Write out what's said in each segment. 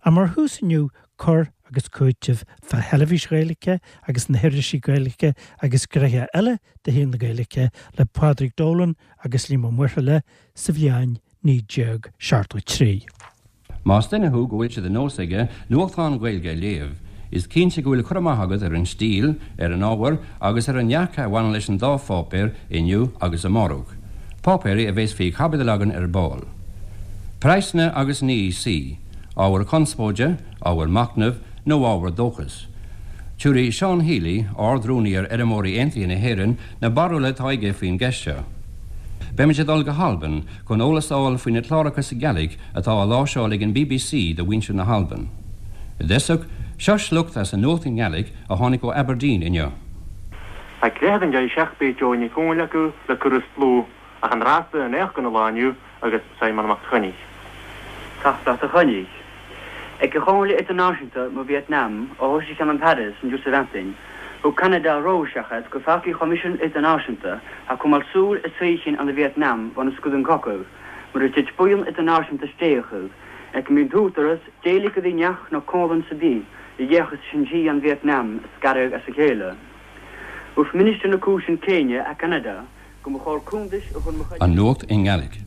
Ach mar thús inniu, cur agus cúiteamh fá theilifís Ghaeilge agus na hirisí Gaeilge agus gnoithe eile de shaol na Gaeilge le Pádraig Dolan agus Liam Ó Muirthile sa bhliain 1973. Más duine thú go bhfuil sé de nós aige nuachtán Gaeilge a léamh, is cinnte go bhfuil cur amach agat ar an stíl, ar an ábhar agus ar an ndearcadh a bhaineann leis an dá pháipéar, Inniu agus Amárach, páipéirí a bheas faoi chaibidil againn ar ball. Praghsanna agus an EEC, ábhar conspóide, ábhar machnaimh nó ábhar dóchais? Tabharfaidh Seán Healy, Ard-Rúnaí ar Fheirmeoirí Aontaithe na hÉireann, na barúla atá aige faoin gceist seo. Beimid ag dul go hAlbain chun eolas a fháil faoi na cláracha sa Ghàidhlig atá á láimhseáil ag an bbc do mhuintir na hAlban. I dtosach, seo sliocht as an nuacht i nGàidhlig a tháinig ó Aberdeen inniu. Tá cluiche den deireadh seach beidh Joe Nic Conghail acu le Cur is Dlúth ach an rásta in éacht den lá inniu agus Simon Mac Choinnigh. Teachtaireacht a Choinnigh. Ag an Chomhairle Idirnáisiúnta mo Vietnam a thosaigh cheana in Paris an Diosa thug Ceanada rabhadh seachad go fearcaí Choimisiún Idirnáisiúnta a coimeád súil is saoithín an Vietnam bhun a scuad an cogadh mar a tit buíon idirnáisiúnta stéachadh ag an mbíonn t-údaras d'éiligh go dtí neach nó comhlann sa bith a dhéachas sin sí an Vietnam a scaradh as a chéile. Uair Ministir na Cúiseann Céinne a Ceanada go mba chóir cuntais a chur mo chuid. An nuacht i nGàidhlig.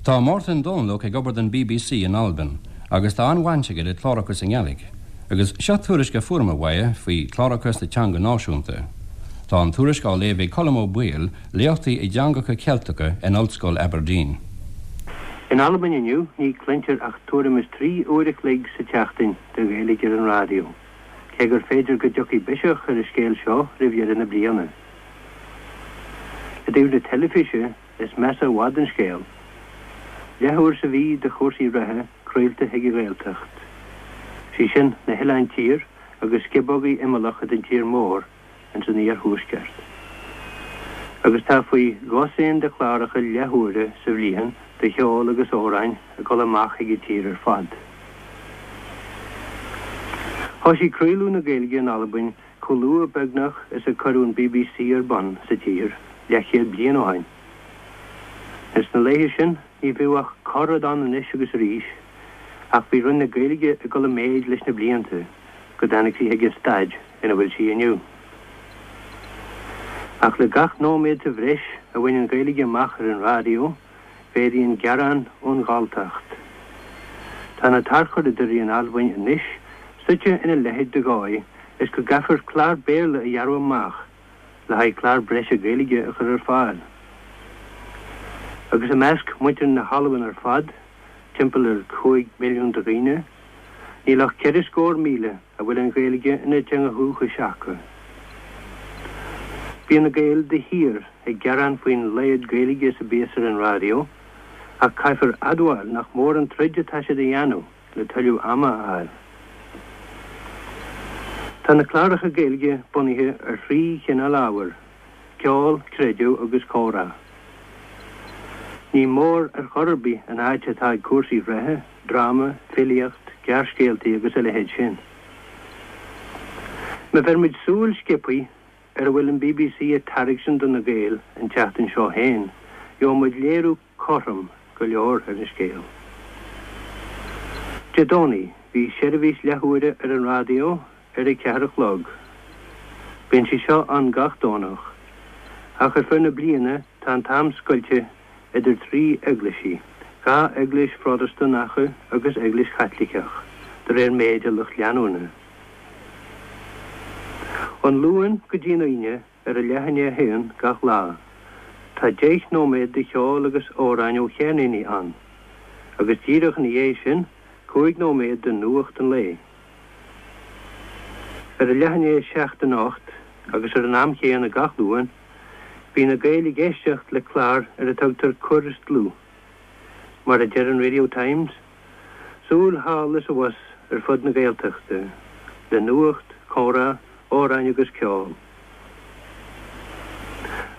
Tá Màrtainn Dòmhnallach ag obair don bbc in Albain agus tá an-bhaint aige le cláracha sa nGàidhlig. Agus seo tuairisc a fuaireamar uaidh faoi chláracha sa teanga náisiúnta. Tá an tuairisc á léamh ag Colm Ó Baoill, léachtaí i dteangacha Ceilteacha in Ollscoil Aberdeen. In Albain inniu ní cluintear ach tuairim is 3 uair a chloig sa tseachtain de Ghaeilge ar an raidió, cé gur féidir go dtiocfaidh biseach ar an scéal seo roimh dheireadh na bliana. I dtaobh na teilifíse, is measa i bhfad an scéal. Leathuair sa mhí de chúrsaí reatha craolta chuig an Ghaeltacht. Sí sin, na hOileáin Tiar agus sciobógaí imeallacha den tír mór ins an iarthuaisceart. Agus tá faoi dhosaen de chláracha leathuaire sa bhliain de cheol agus amhráin ag dul amach chuig an tír ar fad. Thoisigh craoladh na Gaeilge in Albain Chomh luath beagnach is a cuireadh an bbc ar bun sa tír leathchéad bliain ó shin. Ins na laethe sin ní bhíodh ach corr-rud ann anois agus arís ach bhí Roinn na Gaeilge ag dul i méid leis na blianta go dtáinig sí chuig an staid ina bhfuil sí inniu. Ach le gach nóiméad sa bhreis a bhain an Ghaeilge amach ar an raidió mhéadaigh an gearán ón Ghalltacht. Tá na tarchuradóirí in Albain anois suite ina leithéid de dhóigh is go gcaithfear clár Béarla a ghearradh amach le haghaidh clár breise Gaeilge a chur ar fáil. Agus i measc muintir na hAlban ar fad, timpeall ar 5 mhilliún de dhaoine, níl ach 400,000 a bhfuil an Ghaeilge ina dteanga dhúchais acu. Bíonn na Gaeil de shíor ag gearán faoin laghad Gaeilge is a bíos ar an raidió, ach caithfear admháil nach mór an troid atá siad a dhéanamh le tuilleadh ama a fháil. Tá na cláracha Gaeilge bunaithe ar thrí chineál ábhair, ceol, creideamh agus comhrá. Ní mór ar chor ar bith an áit atá ag cúrsaí reatha, dráma, filíocht, gearrscéaltaí agus a leithéid sin. Má bheir muid súil sciobthaí ar a bhfuil an bbc ag tairgsint do na Gaeil an tseachtain seo féin, gheobhaidh muid léiriú cothrom go leor ar an scéal. Dé Domhnaigh, bhí seirbhís leathuaire ar an raidió ar a ceathair a chlog. Bíonn sí seo ann gach Domhnach, ach ar feadh na bliana tá an t-am scoilte idir 3 eaglaisí, 2 eaglais Phrotastúnacha agus eaglais Chaitliceach, de réir méid a lucht leanúna. Ón Luan go dtí an Aoine ar a leath i ndiaidh a haon gach lá, tá 10 nóiméad de cheol agus amhráin ó cheirníní ann, agus díreach ina dhiaidh sin, 5 nóiméad de nuacht an lae. Ar a leath i ndiaidh a seacht anocht, agus ar an am chéanna gach Luan, bhí na Gaeil ag éisteacht le clár ar a tugtar Cur is Dlúth. Mar a deir an Radio Times, súil thall is abhus ar fud na Gaeltachta, le nuacht, comhrá, amhráin agus ceol.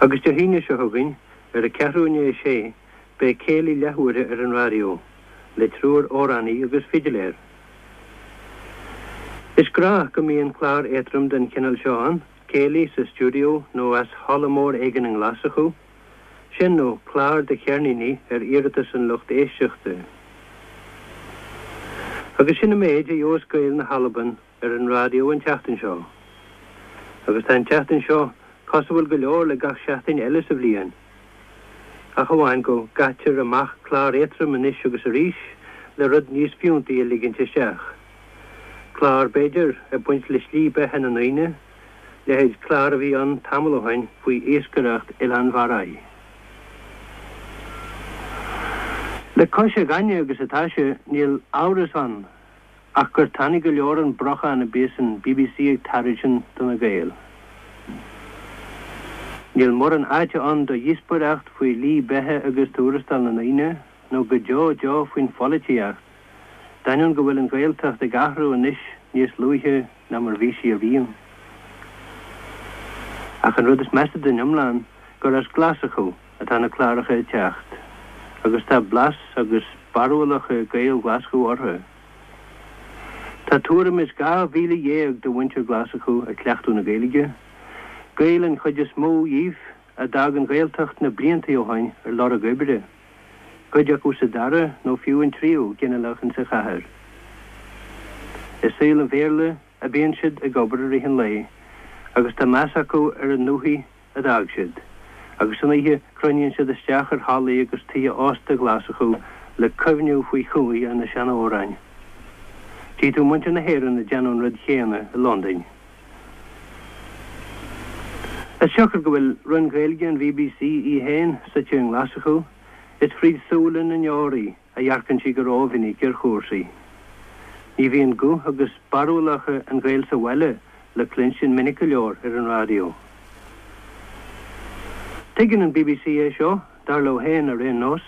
Agus Dé hAoine seo chugainn, ar a ceathrú i ndiaidh a sé, beidh céilí leathuaire ar an raidió, le triúr amhránaí agus fidiléir. Is gnách go mbíonn clár éadrom den chineál seo ann, céilí sa stiúideo nó as halla mór éigin i nGlaschú, sin nó clár de cheirníní ar iarratas an lucht éisteachta. Agus sin an méid a gheobhas Gaeil na hAlban ar an raidió an tseachtain seo. Agus tá an tseachtain seo cosúil go leor le gach seachtain eile sa bhliain, ach amháin go gcaitear amach clár éadtrom anois agus arís le rud níos fiúntaí a ligint isteach. Clár, b'fhéidir, ag baint le slí beatha na ndaoine, leithéid clár a bhí ann tamall ó shin faoi iascaireacht Oileán Bharraigh. Le cois a ghainne agus atá sé, níl amhras ann ach gur tanaí go leor an brocháin a bíos an bbc ag tairgsint do na Gaeil. Níl mórán áite ann do dhíospóireacht faoi shlí beatha agus tuarastal na ndaoine, nó go deo deo faoin pholaitíocht, d'ainneoin go bhfuil an Ghaeltacht ag athrú anois níos luaithe ná mar bhí sí ariamh. Ach an rud is measa den iomlán gur as Glaschú atá na cláracha ag teacht, agus tá blas agus barúlacha Gaeil Ghlaschú orthu. Tá tuairim is 12,000 de mhuintir Ghlaschú ag cleachtadh na Gaeilge, Gaeil an chuid is mó dhíobh a d'fhág an Ghaeltacht na bliantaí ó shoin ar lorg oibre, cuid acu sa dara nó fiú an tríú ginealach insa chathair. I saol an Bhéarla a bíonn siad ag obair i rith an lae agus tá meas acu ar an ndúthaigh a d'fhág siad, agus san oíche cruinníonn siad isteach ar hallaí agus tithe ósta Ghlaschú le cuimhniú faoi chúinne na seanamhráin. Tchí tú muintir na hÉireann ag déanamh an rud chéanna i Londain. As siocair go bhfuil Roinn Ghaeilge an bbc í féin suite i nGlaschú, is fríd súile na ndeoraí a dhearcann sí go rómhinic ar chúrsaí. Ní bhíonn guth agus barúlacha an Ghaeil sa bhaile le cluinstin minic go leor ar an raidió. Tuigeann an bbc é seo, dar leo féin ar aon nós.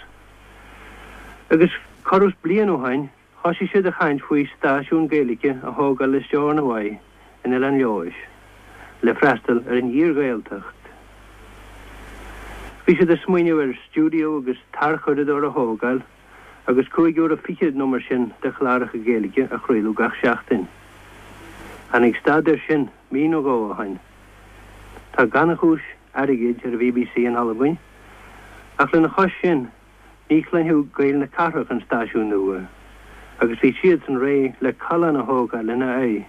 Agus corradh is bliain ó shoin, thoisigh siad a chaint faoi stáisiún Gaeilge a thógáil i Stornoway in Oileán Leodhais le freastal ar an fhíor-Ghaeltacht. Bhí siad ag smaoineamh ar stiúideo agus tarchuradóir a thógáil agus cúig uaire fichead nó mar sin de chláracha Gaeilge a chraoladh gach seachtain. Tháinig stad air sin mí nó dhó ó shoin. Tá gannchúis airgid ar an bhBC in Albain, ach lena chois sin, Ní chluinfeadh Gaeil na cathrach an stáisiún nua agus bhí siadsan réidh le callán a thógáil lena aghaidh.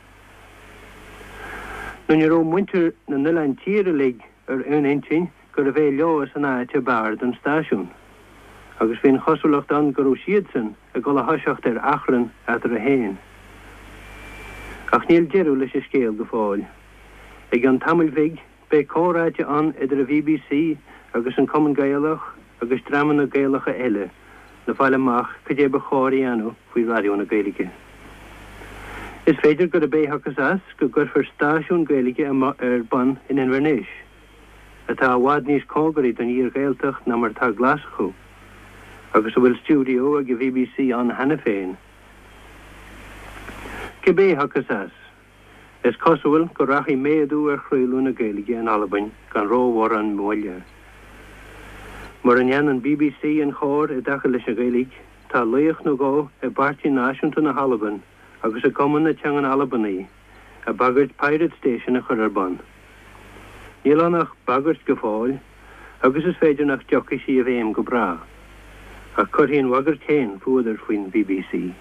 Nó ní raibh muintir na n-oileán tiar uilig ar aon intinn gurbh é Leodhas an áit ab fhearr don stáisiún, agus bhí an chosúlacht ann go raibh siadsan ag dul a thoiseacht ar achrann eatarthu féin. Ach níl deireadh leis an scéal go fóill. I gcionn tamaill bhig, Beidh comhráite ann idir an bbc agus an Cumann Gaelach agus dreamanna Gaelacha eile le fáil amach cad é ba chóir a dhéanamh faoi Raidió na Gaeilge. Is féidir gurb é a thiocfas as go gcuirfear stáisiún Gaeilge ar bun in Inbhir Nis, atá i bhfad níos cóngaraí don fhíor-Ghaeltacht ná mar atá Glaschú, agus a bhfuil stiúideo ag an bbc ann cheana féin. Cibé a thiocfas as, Is cosúil go rachaidh méadú ar chraoladh na Gaeilge in Albain gan rómhórán moille. Mura ndéanann bbc an chóir i dtaca leis an Ghaeilge, tá laoch nó dhó i bPáirtí Náisiúnta na hAlban agus i gCumann na Teangan Albanaí ag bagairt pirate station a chur ar bun. Níl ann ach bagairt go fóill agus is féidir nach dtiocfaidh sí i bhfeidhm go bráth. Ach cuirfidh an bhagairt féin fuadar faoin bbc.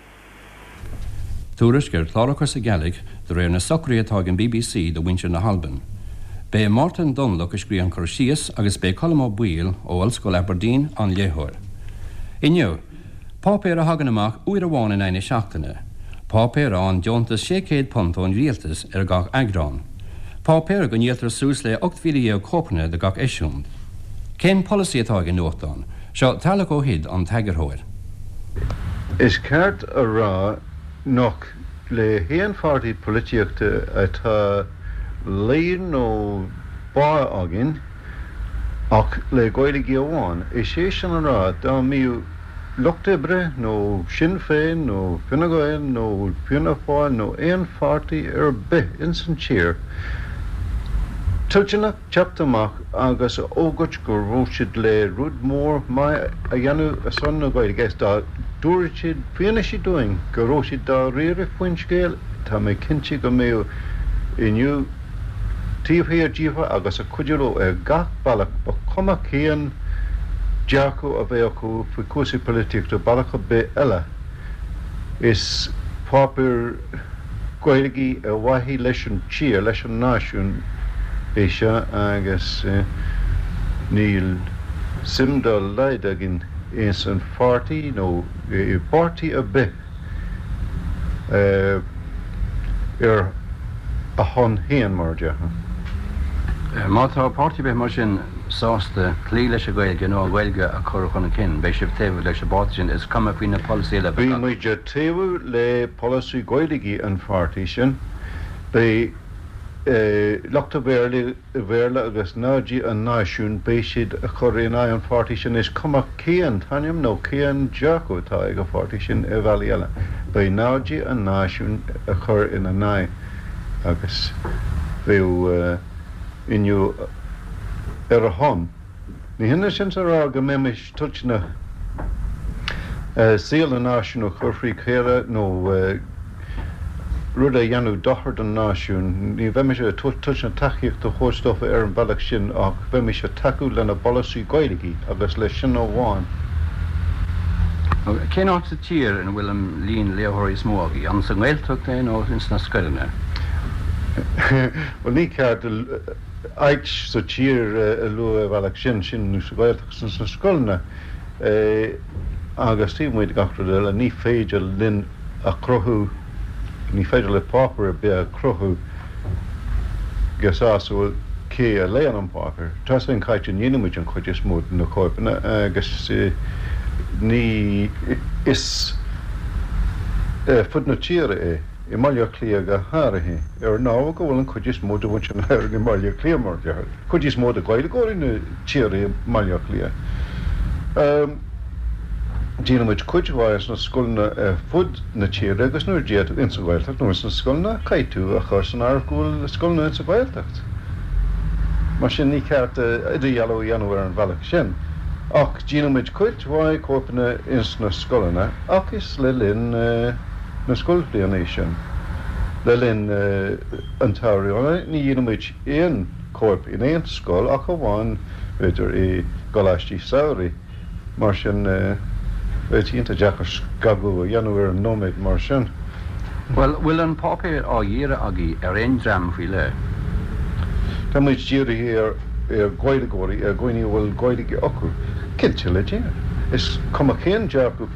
Tuairisc ar chláracha sa Ghàidhlig de réir na socruithe atá ag an bbc do mhuintir na hAlban. B'é Màrtainn Dòmhnallach a scríobh an cur síos agus b'é Colm Ó Baoill ó Ollscoil Aberdeen an léitheoir. Inniu, páipéar a thagann amach uair amháin in aghaidh na seachtaine. Páipéar a fhaigheann deontas £600 ón rialtas ar gach eagrán. Páipéar go ndíoltar suas le 18,000 cóipeanna de gach eisiúint. Cén polasaí atá ag an nuachtán? Seo Tarlach Ó hUid, an t-eagarthóir. Is ceart a rá nach le haon pháirtí polaitíochta atá luí nó bá againn ach le Gaeilge amháin. Is é sin a rá, dá mbíodh Lucht Oibre nó Sinn Féin nó Fine Gael nó Fianna Fáil nó aon pháirtí ar bith ins an tír toilteanach teacht amach agus a fhógairt go raibh siad le rud mór maith a dhéanamh ar son na Gaeilge is dá dtabharfadh siad fianaise dúinn go raibh siad dáiríre faoin scéal, tá mé cinnte go mbeadh Inniu taobh thiar díofa agus ag cuidiú leo ar gach bealach, ba chuma cén dearcadh a bheadh acu faoi chúrsaí polaitíochta, bealach ar bith eile. Is. Páipéar Gaeilge ar mhaithe leis an tír, leis an náisiún é seo agus níl suim dá laghad againn ins an pháirtí nó i bpáirtí ar bith ar a shon féin, mar a déarfá. Má tá páirtí ar bith mar sin sásta cloí leis an Ghaeilge nó an Ghaeilge a chur chun cinn, beidh sibh taobh leis an bpáirtí sin, is cuma faoi na polasaithe eile a bheith Beidh acu. muid ag taobhú le polasaí Gaeilge an pháirtí sin. Beidh lucht an Bhéarla agus naimhde an náisiúin, beidh siad ag cur in aghaidh an pháirtí sin, is cuma cén t-ainm nó cén dearcadh atá ag an pháirtí sin ar bhealaí eile. Beidh naimhde an náisiúin ag cur ina n-aghaidh agus beidh Inniu ar a shon. Ní hionann sin is a rá go mbeimis toilteanach saol an náisiúin a chur frí chaora nó rud a dhéanfadh dochar don náisiún. Ní bheimis toilteanach tacaíocht a thabhairt dófa ar an bhealach sin ach bheimis ag tacú lena bpolasaí Gaeilge agus leis sin amháin. Cén áit sa tír ina bhfuil an líon léitheoirí is mó agaibh? An sa nGaeltacht é nó ins na scoileanna? Bhuel, ní ceart áit sa tír a lua ar bhealach sin, sin nó sa Ghaeltacht nó sna scoileanna. Agus taobh amuigh de gach rud eile, ní féidir linn a chruthú, ní féidir le páipéar ar bith a chruthú go sásúil cé a léann an páipéar. Tá sin caite, ndíolann muid an chuid is mó de na cóipeanna agus ní is ar fud na tíre é. i mBaile Átha Cliath go háirithe, ar an ábhar go bhfuil an chuid is mó de mhuintir na hÉireann i mBaile Átha Cliath, mar a déarfá, cuid is mó de Ghaeilgeoirí na tíre i mBaile Átha Cliath. Díolann muid cuid mhaith sna scoileanna ar fud na tíre agus nuair a deir tú ins an Ghaeltacht nó ins na scoileanna, caithfidh tú a chur san áireamh go bhfuil scoileanna ins an Ghaeltacht. Mar sin ní ceart idirdhealú a dhéanamh ar an bhealach sin. Ach díolann muid cuid mhaith cóipeanna ins na scoileanna ach is le linn. na scoilbhliana é sin. Le linn an tsamhraidh ní dhíolann muid aon chóip in aon scoil ach amháin, b'fhéidir, i gcoláistí samhraidh. Mar sin, bheadh sé iontach deacair scagadh a dhéanamh ar an nóiméad mar sin. Bhuel, bhfuil an páipéar á dhíriú agaibh ar aon dream faoi leith? Tá muid dírithe ar Ghaeilgeoirí, ar dhaoine a bhfuil Gaeilge acu. Cinnte, le Dia. Is cuma cén dearcadh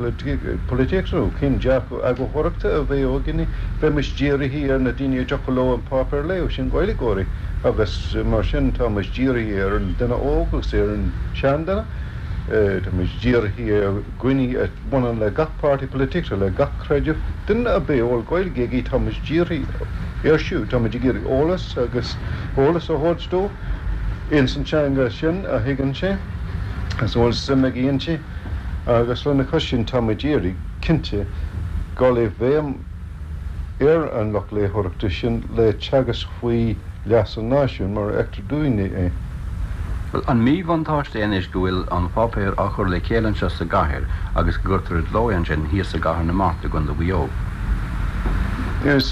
polaitíochta nó cén dearcadh eagarthóireachta a bheadh againne, bheimis dírithe ar na daoine a dtiocfadh leo an páipéar a léamh, sin Gaeilgeoirí. Agus mar sin tá muid dírithe ar an duine óg agus ar an seanduine. Tá muid dírithe ar dhaoine a bhaineann le gach páirtí polaitíochta, le gach creideamh. Duine ar bith a bhfuil Gaeilge aige, tá muid dírithe air siúd. Tá muid ag iarraidh eolas agus eolas a thabhairt dó ins an teanga sin a thuigeann sé agus a bhfuil suim aige inti. Agus lena chois sin, tá muid ag iarraidh, cinnte, dul i bhfeidhm ar an lucht léitheoireachta sin le teagasc faoi leas an náisiúin mar a fheictear dúinne é. Bhuel, an míbhuntáiste é anois go bhfuil an páipéar á chur le chéile anseo sa gcathair agus go gcuirtear i gcló é ansin thíos i gCathair na Mart i gContae Mhaigh Eo? Is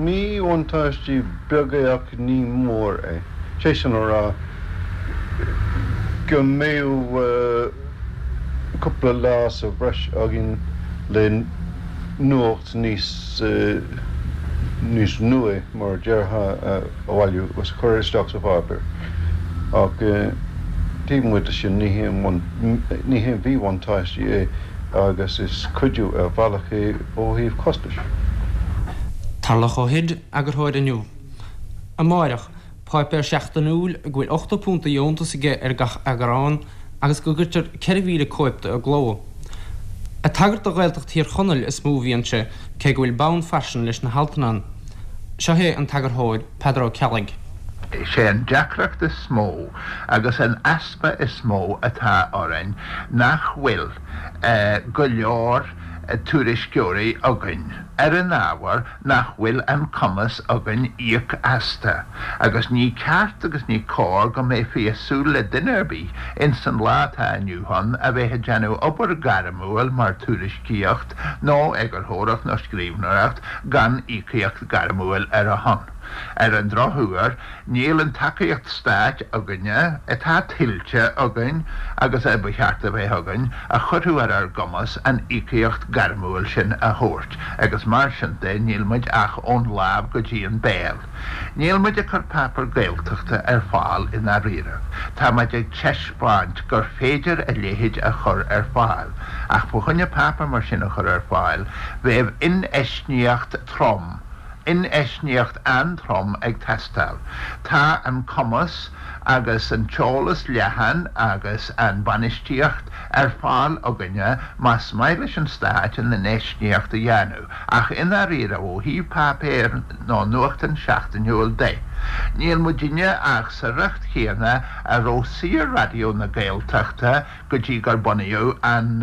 míbhuntáiste beag é ach ní mór é. Sé sin a rá go mbeadh cúpla lá sa bhreis againn le nuacht níos níos nua, mar a déarfá, a bhailiú agus a chur isteach sa pháipéar. Ach taobh amuigh de sin, ní haon ní haon mhíbhuntáiste é agus is cuidiú ar bhealach é ó thaobh costais. Tarlach Ó hUid, eagarthóir Inniu. Amáireach, páipéar seachtainiúil go bhfuil £80 de dheontas aige ar gach eagrán agus go gcuirtear 4,000 cóip de i gcló. Ag tagairt do Ghaeltacht Thír Chonaill is mó a bhíonn sé, cé go bhfuil bonn faisin leis na haltanna ann. Seo é an t-eagarthóir, Peadar Ó Ceallaigh. Is é an deacracht is mó agus an easpa is mó atá orainn nach bhfuil go leor tuairisceoirí againn ar an ábhar nach bhfuil an cumas againn íoc astu, agus ní ceart agus ní cóir go mbeifí ag súil le duine ar bith ins an lá atá inniu ann a bheith ag déanamh obair ghairmiúil mar tuairiscíocht nó eagarthóireacht nó scríbhneoireacht gan íocaíocht ghairmiúil ar a shon. Ar an drochuair, níl an tacaíocht stáit againne, atá tuillte againn agus a ba cheart a bheith againn, a chuirfeadh ar ár gcumas an íocaíocht gairmiúil sin a thabhairt agus mar sin de níl muid ach ón lámh go dtí an béal. Níl muid ag cur páipéar Gaeltachta ar fáil i ndáiríre. Tá muid ag teispeáint gur féidir a leithéid a chur ar fáil. Ach fá choinne páipéar mar sin a chur ar fáil, bheadh infheistíocht trom, infheistíocht an-trom ag teastáil. Tá an cumas agus an t-eolas leathan agus an bainistíocht ar fáil againne más maith leis an Stát an infheistíocht a dhéanamh, ach i ndáiríre, ó thaobh páipéir nó nuachtán seachtainiúil de, níl muidinne ach sa riocht chéanna a raibh Saor-Raidió na Gaeltachta go dtí gur bunaíodh an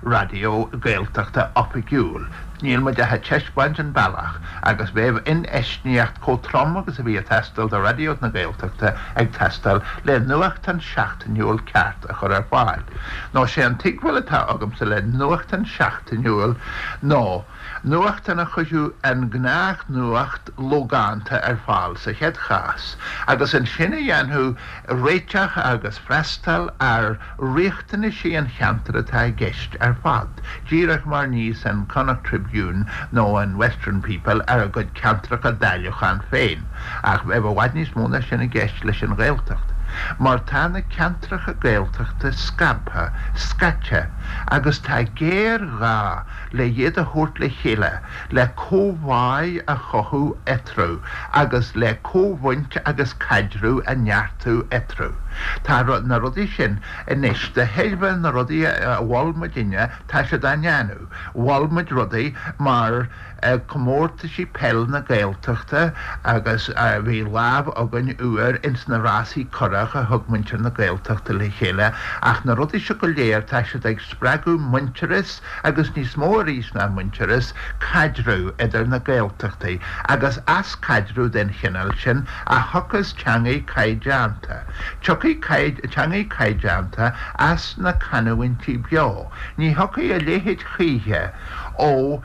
raidió Gaeltachta oifigiúil. Níl muid ach ag teispeáint an bealach, agus bheadh infheistíocht chomh trom agus a bhí ag teastáil do Raidió na Gaeltachta ag teastáil le nuachtán seachtainiúil ceart a chur ar fáil. Nó sé an tuigbheáil atá agamsa le nuachtán seachtainiúil nó nuachtán a chuirfeadh an gnách-nuacht logánta ar fáil sa chéad chás, agus ansin a dhéanfadh réiteach agus freastal ar riachtanaisí an cheantair atá i gceist ar fad, díreach mar níos an Connacht Tribune nó an Western People ar a gcuid ceantracha dáiliúcháin féin. Ach bheadh i bhfad níos mó ná sin i gceist leis an Ghaeltacht, mar tá na ceantracha Gaeltachta scabtha, scaite, agus tá géarghá le iad a thabhairt le chéile, le comhbhá a chothú eatarthu agus le comhbhaint agus caidreamh a neartú eatarthu. Tá na rudaí sin anois, de thairbhe na rudaí a mhol muidinne, tá siad á ndéanamh. Mhol muid rudaí mar comórtaisí peil na Gaeltachta agus bhí lámh againn uair ins na rásaí curach a thug muintir na Gaeltachta le chéile ach na rudaí seo go léir tá siad ag spreagadh muintearas agus níos mó arís ná muintearas, caidreamh idir na Gaeltachtaí, agus as caidreamh den chineál sin a thiocfas teangaidh caighdeánta. Tiocfaidh teangaidh caighdeánta as na canúintí beo. Ní thiocfaidh a leithéid choíche ó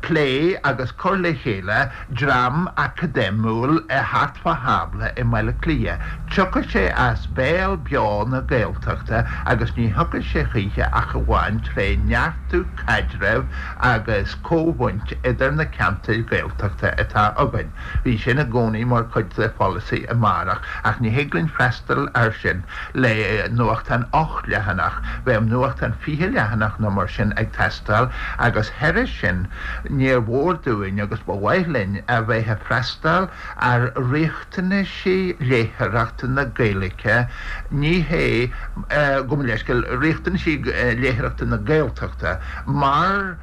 plé agus cur le chéile dream académiúil thart fá thábla i mBaile Átha Cliath. Tiocfaidh sé as béal beo na Gaeltachta agus ní thiocfaidh sé choíche ach amháin tré neartú caidrimh agus comhbhaint idir na ceantair Ghaeltachta atá againn. Bhí sin i gcónaí mar chuid de pholasaí Amárach ach ní thig linn freastal air sin le nuachtán 8 leathanach, bheadh nuachtán 20 leathanach nó mar sin ag teastáil agus thairis sin níor mhór dúinn agus ba mhaith linn a bheith ag freastal ar riachtanaisí léitheoireachta na Gaeilge, ní hé, gabh mo leithscéal, riachtanaisí léitheoireachta na Gaeltachta mar.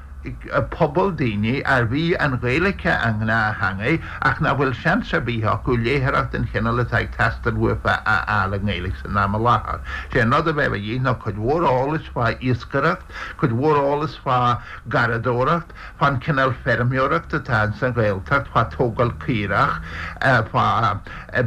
pobal daoine arbh í an Ghaeilge a ngnáth-theangaidh ach nach bhfuil seans ar bith acu léitheoireacht den chineál atá ag teastáil uafa a fháil i nGaeilge san am i láthair. Sé an rud a bheadh a dhíth ná cuid mhór eolais fá iascaireacht, cuid mhór eolais fá gharraíodóireacht, fán chineál feirmeoireacht atá ins an Ghaeltacht, fá tógáil caorach, fá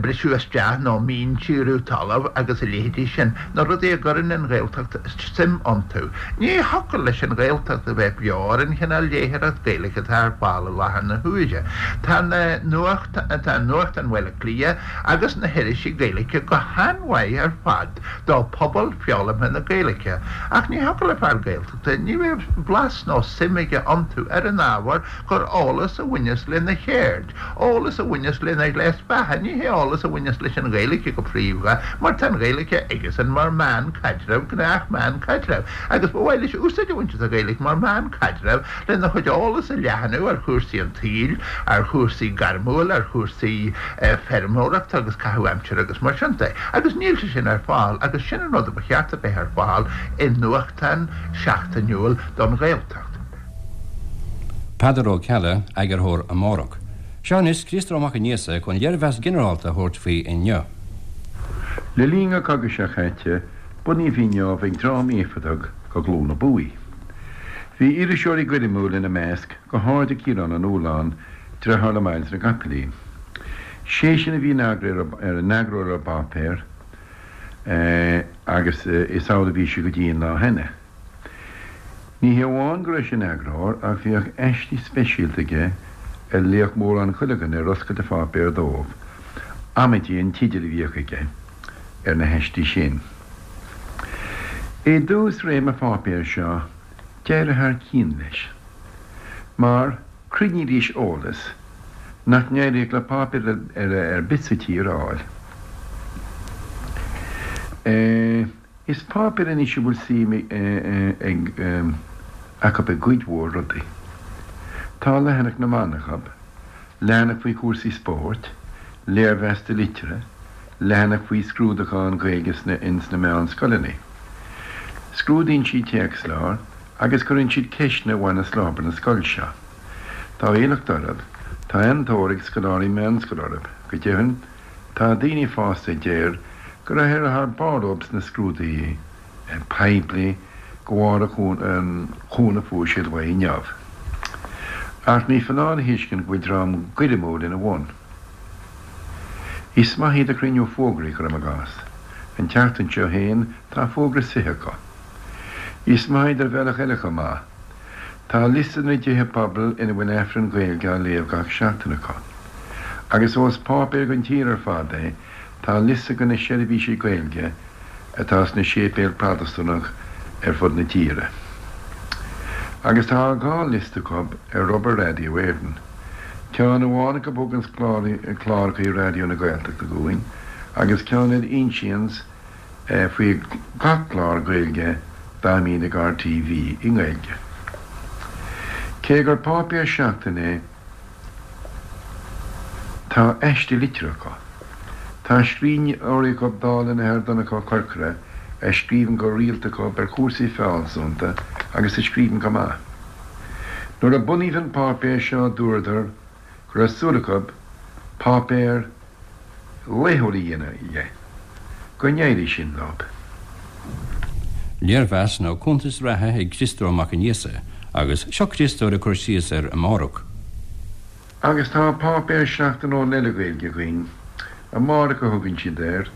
briseadh isteach nó míntíriú talaimh agus a leithéidí sin, na rudaí a gcuireann an Ghaeltacht suim iontu. Ní thiocfadh leis an Ghaeltacht a bheith beo ar an chineál léitheoireacht Gaeilge atá ar fáil i láthair na huaire. Tá na nuacht, tá nuachtán Bhaile Átha Cliath agus na hirisí Gaeilge go han-mhaith ar fad do phobal foghlamtha na Gaeilge, ach ní thiocfadh le fear Gaeltachta, ní bheadh blas nó suim aige iontu ar an ábhar gur eolas a bhaineas lena cheird. Eolas a bhaineas lena ghléas beatha, ní hé eolas a bhaineas leis an Ghaeilge go príomha, mar tá an Ghaeilge aigesan mar mheán caidrimh, gnách meán caidrimh, agus ba mhaith leis úsáid a bhaint as an Ghaeilge mar mheán caidrimh lena chuid eolas a leathnú ar chúrsaí an tsaoil, ar chúrsaí gairmiúil, ar chúrsaí feirmeoireachta agus caitheamh aimsire agus mar sin de. Agus níl sé sin ar fáil, agus sin an rud a ba cheart a bheith ar fáil i nuachtán seachtainiúil don Ghaeltacht. Peadar Ó Ceallaigh, Eagarthóir Amárach. Seo anois Críostóir Mac Aonghusa chun léirmheas ginearálta a thabhairt faoi Inniu. Le linn an chogaidh seo chaite, bunaíodh Inniu ag dream éifeachtach de ghlúin a bhuaigh. Bhí iriseoirí gairmiúil ina measc, go háirid Ciarán Ó Nualláin, deartháir le Myles na gCopaleen. Seisean a bhí ina eagarthóir ar an bpáipéar agus is amhlaidh a bhí sé go dtí an lá cheana. Ní hé amháin go raibh sé ina eagarthóir ach bhíodh aistí speisialta aige a léadh mórán chuile dhuine ar oscailt an pháipéir dóibh, amaidí an teideal a bhíodh aige ar na haistí sin. I dtús réim an pháipéir seo, d'éirigh thar cionn leis, mar chruinnídís eolas nach n-éiríodh le páipéar eile ar bith sa tír a fháil. Is páipéar anois a bhfuil suim ag acu i gcuid mhór rudaí. Tá leathanach na mban acu, leathanach faoi chúrsaí spóirt, léirmheas liteartha, leathanach faoi scrúdúchán Gaeilge sna ins na meánscoileanna. Scrúdaíonn siad téacsleabhair agus cuireann siad ceisteanna a bhaineas le hobair na scoile seo. Tá éileacht orthu, tá an-tóir ag scoláirí meánscoile orthu, go deimhin, Tá daoine fásta a deir gur éirigh thar barr leo sna scrúduithe poiblí de bharr an chúnamh a fuair siad uaidh Inniu. Ach ní foláir a thuiscint go bhfuil dream gairmiúil ina bhun. Is maith iad ag cruinniú fógraí, cuirim i gcás. An tseachtain seo féin tá fógra suite acu. Is maith iad ar bhealach eile chomh maith. Tá liosta de na dtithe pobail ina bhfuil Aifreann Gaeilge á léamh gach seachtain acu. Agus ós páipéar don tír ar fad é, tá liosta de na seirbhísí Gaeilge atá sna séipéil Protastúnach ar fud na tíre. Agus tá 2 liosta acu ar obair Radio Éireann. Ceann amháin acu a thuganns clárachaí Raidió na Gaeltachta dhúinn agus ceann eile a insíonns faoi gach clár Gaeilge dá mbíonn ag RTV i nGaeilge. Cé gur páipéar seachtaine é, tá aiste liteartha acu. Tá scríbhneoirí acu dála an Athar Donncha Ó Corcora a scríobhann go rialta acu ar chúrsaí fealsúnachta agus a scríobhann go maith. Nuair a bunaíodh an páipéar seo dúradar go raibh súil acu páipéar laethúil a dhéanamh dhe. Go n-éirí sin leo. Léirmheas nó cuntas reatha ag Criostóir Mac Aonghusa agus seo Criostóir ag cur síos ar Amárach. Agus tá páipéar seachtainiúil eile Gaeilge againn, Amárach a thugann siad air,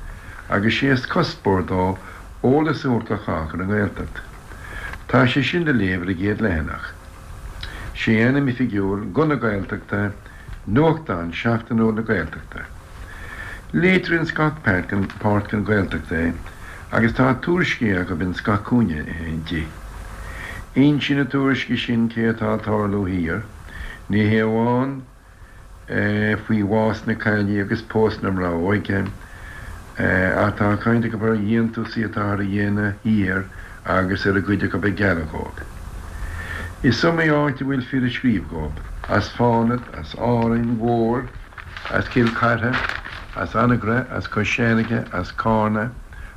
agus sé is cuspóir dó eolas a thabhairt do chách ar an nGaeltacht. Tá sé sin le léamh ar an gcéad leathanach. Sé a ainm oifigiúil, Guth na Gaeltachta, Nuachtán seachtainiúil na Gaeltachta. Léitear ins gach páirt den Ghaeltacht é agus tá tuairiscí acu ins gach cúinne di. Insíonn na tuairiscí sin cé atá ag tarlú thiar, ní hé amháin faoi bhás na caillí agus pósadh na mná óige, ach tá caint acu ar dhéantúsaí atáthar a dhéanamh thiar agus ar an gcuid acu ag gealladh dhóibh. Is iomaí áit a bhfuil fir ag scríobh dhóibh, as Fánad, as Árainn Mhór, as Cill Chartha, as Anagaire, as Cois Fharraige, as Cárna,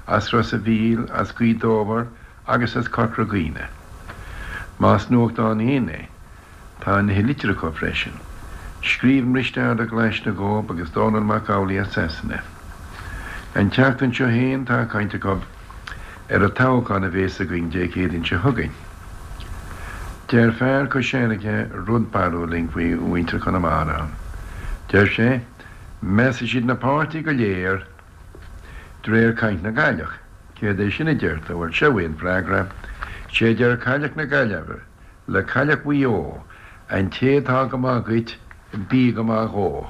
as Ros a' Mhíl, as Gaoth Dobhair agus as Corca Dhuibhne. Más nuachtán fhéin é, Tá nithe liteartha acu freisin. Scríobhann Risteárd Ó Glaisne dhóibh agus Dónall Mac Amhlaigh as Sasana. An tseachtain seo fhéin tá caint acu ar an toghchán a bhéas againn Dé Céadaoin seo chugainn. Deir fear Cois Fharraige rud barrúil linn faoi mhuintir Chonamara. Deir sé, measfaidh siad na páirtithe go léir de réir caint na gcailleach. Céard é sin a deir tú? Bhuel, seo é an freagra. Sé a deir cailleach na Gaillimhe. Le cailleach Mhaigh Eo, an té atá go maith dhuit, bí go maith dhó.